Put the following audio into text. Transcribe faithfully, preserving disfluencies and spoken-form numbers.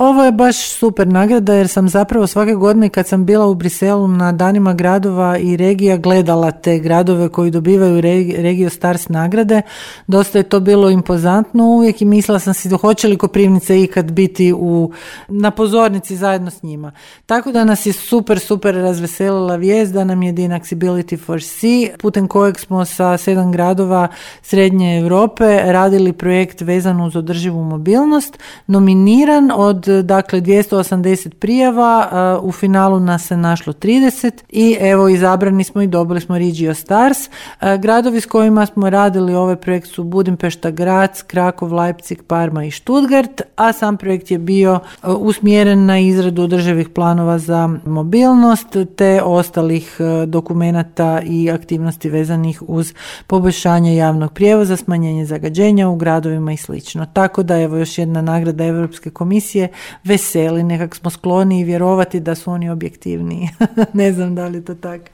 Ovo je baš super nagrada jer sam zapravo svake godine kad sam bila u Briselu na danima gradova i regija gledala te gradove koji dobivaju Regio Stars nagrade. Dosta je to bilo impozantno uvijek i mislila sam si hoće li Koprivnica ikad biti u, na pozornici zajedno s njima. Tako da nas je super, super razveselila vijest da nam je Dynaccessibility for Sea, putem kojeg smo sa sedam gradova Srednje Europe radili projekt vezan uz održivu mobilnost, nominiran od dakle dvjesto osamdeset prijava, u finalu nas se našlo trideset i evo izabrani smo i dobili smo Regio Stars. Gradovi s kojima smo radili ovaj projekt su Budimpešta, Graz, Krakov, Leipzig, Parma i Stuttgart, a sam projekt je bio usmjeren na izradu održivih planova za mobilnost te ostalih dokumenata i aktivnosti vezanih uz poboljšanje javnog prijevoza, smanjenje zagađenja u gradovima i slično. Tako da evo još jedna nagrada Europske komisije veseli, nekak smo skloni vjerovati da su oni objektivniji. Ne znam da li je to tako.